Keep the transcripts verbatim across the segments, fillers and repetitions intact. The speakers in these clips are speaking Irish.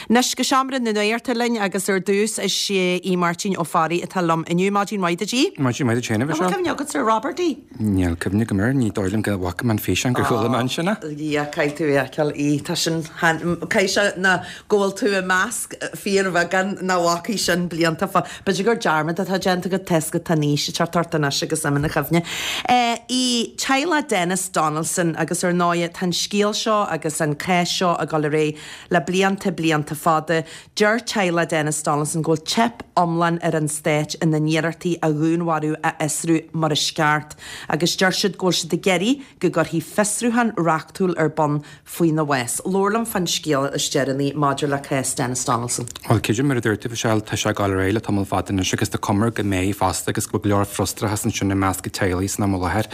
Anois go seomra na nuachta linn agus ar dtús is é Aodh Máirtín Ó Fearraigh atá liom inniu. Maidin mhaith duit, Aodh. Maidin mhaith duit féin, a Mhichelle. An bhfuil cuimhne agat ar Robert Aodh? Níl cuimhne agam air, ní dóigh liom go bhfaca mé an físeán gur chuala mé ansin é. Yeah, caithfidh tú é a fheiceáil, Aodh. Tá sin, caithfidh sé ná go bhfuil tú i measc fíorbheagán nach bhfacaidh sin blianta fá. B'fhéidir gur dearmad atá déanta agat toisc go tá an aois ag teacht ort anois agus imithe na cuimhne. Aodh, teaghlach Denis Donaldson agus ar ndóigh tá an scéal seo agus an cás seo ag dul ar aghaidh le blianta, blianta fada. Deir teaghlach Denis Donaldson go bhfuil teip iomlán ar an stát ina n-iarrachtaí a dhúnmharú a fhiosrú mar is ceart agus deir siad go bhfuil siad ag iarraidh go gcuirfí fiosrúchán reachtúil ar bun faoina bhás. Labhair liom fán scéal is deireanaí maidir le cás Denis Donaldson. Bhuel, creidim mar a dúirt tú, Michelle, tá sé ag dul ar aghaidh le tamall fada anois agus tá cuma air go mbeidh fosta agus go bhfuil go leor frustrachas ansin i measc an teaghlaigh san am i láthair.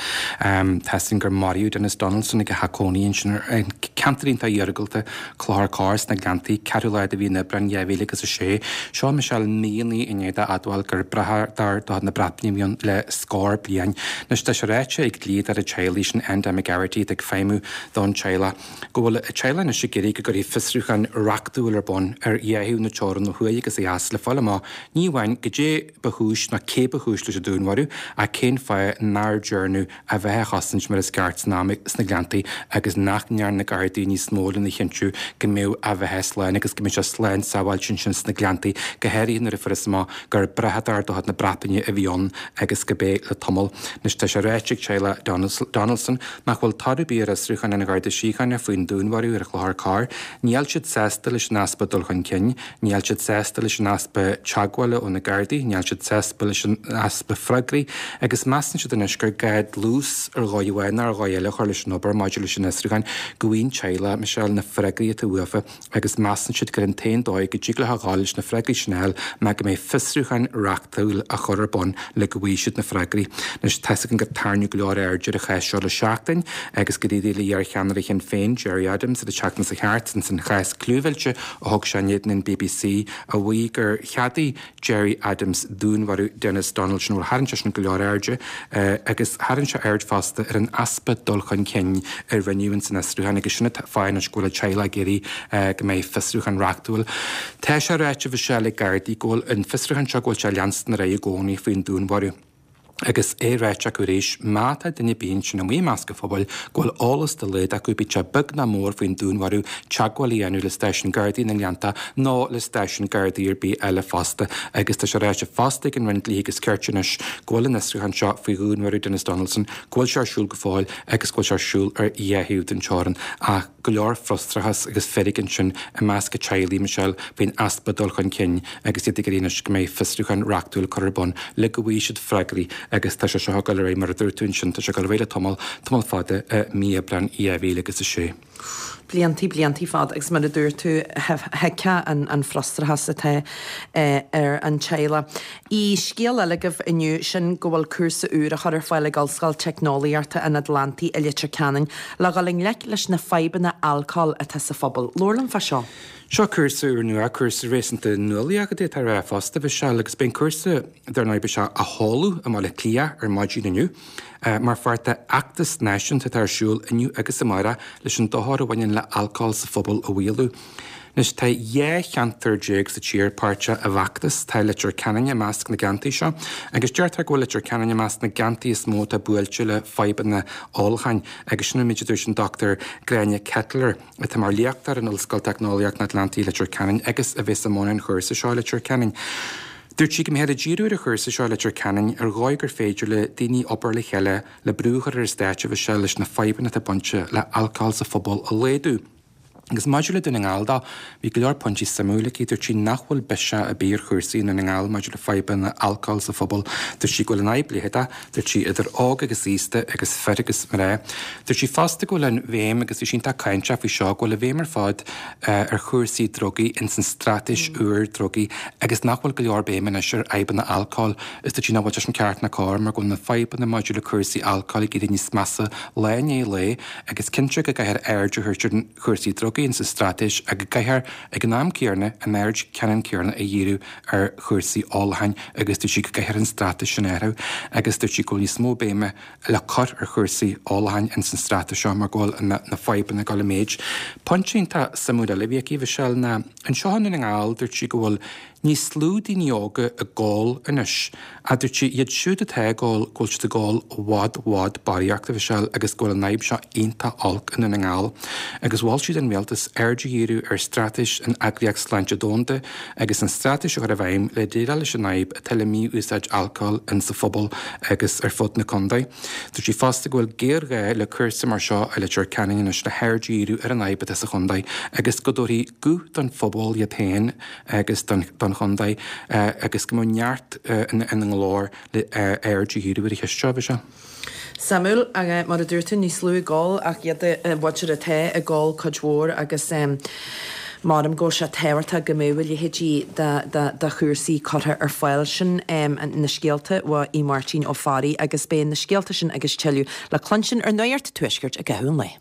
Tá 'fhios againn gur maraíodh Denis Donaldson ag a theach cónaí ansin ar ceantar iontach iargúlta, Clochar Corr sna Gleanntaí, ceathrú lá de mhí an Aibreáin dhá mhíle agus a sé. Seo, Michelle, míonna i ndiaidh dó a admháil gur brathadóir de chuid na Breataine a bhí ann le scór bliain. Anois tá sé ráite ag dlíodóir an teaghlaigh sin, Enda McGarrity, atá ag feidhmiú don teaghlach, go bhfuil an teaghlach anois ag iarraidh go gcuirfí fiosrúchán reachtúil ar bun ar dhá thaobh na teorann ó thuaidh agus ó dheas le fáil amach ní amháin goidé ba chúis nó cé ba chúis leis an dúnmharú ach cén fáth nár dearnadh a bheatha a chosaint mar is ceart san am sna Gleanntaí agus nach ndearna na Gardaí níos mó lena chinntiú go mbeadh a bheatha slán agus go mbeadh sé slán sábháilte ansin sna Gleanntaí, go háirithe nuair a fuarthas amach gur brathadóir de chuid na Breataine a bhí ann agus go b'é le tamall. Anois tá sé ráite ag teaghlach Donaldson nach bhfuil toradh ar bith ar fhiosrúchán an Gharda Síochána faoin dúnmharú ar Chlochar Corr. Níl siad sásta leis an easpa dul chun cinn, níl siad sásta leis an easpa teagmhála ó na Gardaí, níl siad sásta leis an easpa freagraí agus measann siad anois gur gá dlús ar dhóigh amháin nó ar dhóigh eile a chur leis an obair maidir leis an fhiosrúchán go bhfaigheann teaghlach Michelle na freagraí atá uafa agus measann siad gur an t-aon dóigh go dtig leo a ghabháil leis na freagraí sin a fháil ná go mbeidh fiosrúchán reachtúil á chur ar bun le go bhfaighidh siad na freagraí. Anois tá 'fhios againn gur tarraingíodh go leor airde ar an chás seo le seachtain agus go d'éirigh le iarcheannaire Shinn Féin, Gerry Adams, ar an tseachtain seo thart ins an chás clúmhillte a thug sé in éadan an bbc a mhaígh gur cheadaigh Gerry Adams dúnmharú Denis Donaldson. Bhuel, tharraing sé sin go leor airde agus tharraing sé aird fosta ar an easpa dul chun cinn a rinneadh ins an fhiosrúchán agus sin an fáth anois go bhfuil an teaghlach ag iarraidh go mbeidh fiosrúchán reachtúil. Tá sé ráite, Michelle, ag Gardaí go bhfuil an fiosrúchán seo go bhfuil sé ag leanstan ar aghaidh i gcónaí faoin dúnmharú. Agus é ráite acu arís, má tá duine ar bith ansin amuigh i measc an phobail go bhfuil eolas dá laghad acu, bíodh sé beag ná mór faoin dúnmharú, teagmháil a dhéanamh le stáisiún Gardaí na nGleannta nó le stáisiún Gardaí ar bith eile fosta. Agus tá sé ráite fosta ag an Roinn Dlí agus Cirt anois go bhfuil an fhiosrúchán seo faoi dhúnmharú Denis Donaldson, go bhfuil sé ar siúl go fóill agus go bhfuil sé ar siúl ar dhá thaobh den teorainn. Ach go leor frustrachas agus feirg ansin i measc an teaghlaigh, Michelle, faoin easpa dul chun cinn agus iad ag iarraidh anois go mbeidh fiosrúchán reachtúil curtha ar bun le go bhfaighidh siad freagraí agus tá sé seo ag dul ar aghaidh, mar a dúirt tú ansin, tá sé ag dul ar aghaidh le tamall, tamall fada, i mí Aibreáin dhá mhíle agus a sé. Bliantaí, bliantaí fada agus mar a dúirt tú, thuigfeá an frustrachas atá ar an teaghlach. I scéal eile agaibh inniu, sin go bhfuil cúrsa úr á chur ar fáil ag Ollscoil Teicneolaíochta an Atlantaigh i Leitir Ceanainn le dhul i ngleic leis na fadhbanna alcóil atá sa phobal. Labhair liom fá seo. Seo cúrsa úr nua, cúrsa réasúnta nuálaíoch a d'fhéadfá a rá fosta, Mhichelle, agus beidh an cúrsa, dar ndóigh, beidh sé á sheoladh i mBaile Átha Cliath ar maidin inniu mar pháirt de fheachtas náisiúnta atá ar siúl inniu agus amárach leis an dochar a bhaineann le alcól sa phobal a mhaolú. Anois, tá dhá cheantar déag sa tír páirteach i bhfeachtas, tá Leitir Ceanainn i measc na gceantaí seo, agus deirtear go bhfuil Leitir Ceanainn i measc na gceantaí is mó atá buailte le fadhbanna ólacháin, agus sin an méid a dúirt an Dochtúir Gráinne Ketteler, atá mar léachtóir in Ollscoil Teicneolaíocht an Atlantaigh i Leitir Ceanainn agus a bheas i mbun an chúrsa seo i Leitir Ceanainn. Dúirt sí go mbeifear ag díriú ar an chúrsa seo i Leitir Ceanainn ar dhóigh gur féidir le daoine obair le chéile le brú a chur ar an stát a Mhichelle leis na fadhbanna atá bainte le alcól sa phobal a laghdú. Agus maidir le Dún na nGall dó, bhí go leor pointí suimiúil aici. Dúirt sí nach bhfuil biseach ar bith ar chúrsaí i nDún na nGall maidir le fadhbanna alcóil sa phobal. Dúirt sí go bhfuil an fhadhb leitheadach, dúirt sí, idir óg agus aosta agus fir agus mná. Dúirt sí fosta go bhfuil an bhéim, agus bhí sí iontach cáinteach faoi seo, go bhfuil an bhéim ar fad ar chúrsaí drugaí ins an straitéis úr drugaí agus nach bhfuil go leor béime anois ar fhadhbanna alcóil. Is dúirt sí nach bhfuil sé sin ceart ná cóir mar go bhfuil na fadhbanna maidir le cúrsaí alcóil ag éirí níos measa lá i ndiaidh lae agus cinnte go gcaithfear aird a thabhairt ar chúrsaí drugaí. agaí insa straitéis ach go gcaithfear ag an am céanna an aird ceannann céanna a dhíriú ar chúrsaí ólacháin agus dúirt sí go gcaithfear an straitéis sin a athrú agus dúirt sí go bhfuil níos mó béime le cur ar chúrsaí ólacháin ins an straitéis seo mar go bhfuil na fadhbanna ag dul i méid. Pointe iontach suimiúil eile a bhí aici, Michelle, ná anseo i nDún na nGall dúirt sí go bhfuil níos lú daoine óga ag ól anois ach dúirt sí iad siúd atá ag ól go bhfuil siad ag ól i bhfad i bhfad barraíocht, a Mhichelle, agus go bhfuil an fhadhb seo iontach olc i nDún na nGall. Agus mhol sí don rialtas aird a dhíriú ar straitéis an Eagraíocht Sláinte Domhanda agus an straitéis a chur i bhfeidhm le déileáil leis an fhadhb atá le mí-úsáid alcóil insa phobal agus ar fud na contae. Dúirt sí fosta go bhfuil géarghá le cúrsa mar seo i Leitir Ceanainn anois le haird a dhíriú ar an fhadhb atá sa chontae agus go dtabharfaí guth don phobal iad féin agus don chontae agus go mbeadh neart ina nglór le aird a dhíriú ar an cheist seo, bhí sé. Suimiúil, mar a dúirt tú, níos lú ag ól ach iad a mhuintir atá ag ól cuid mhór agus measaim go bhfuil sé tábhachtach go mbeadh a leithéidí de chúrsaí curtha ar fáil. Sin na scéalta uaidh Máirtín Ó Fearraigh agus beidh na scéalta sin agus tuilleadh le cluinstin ar Nuacht Tuaiscirt i gcaitheamh an lae.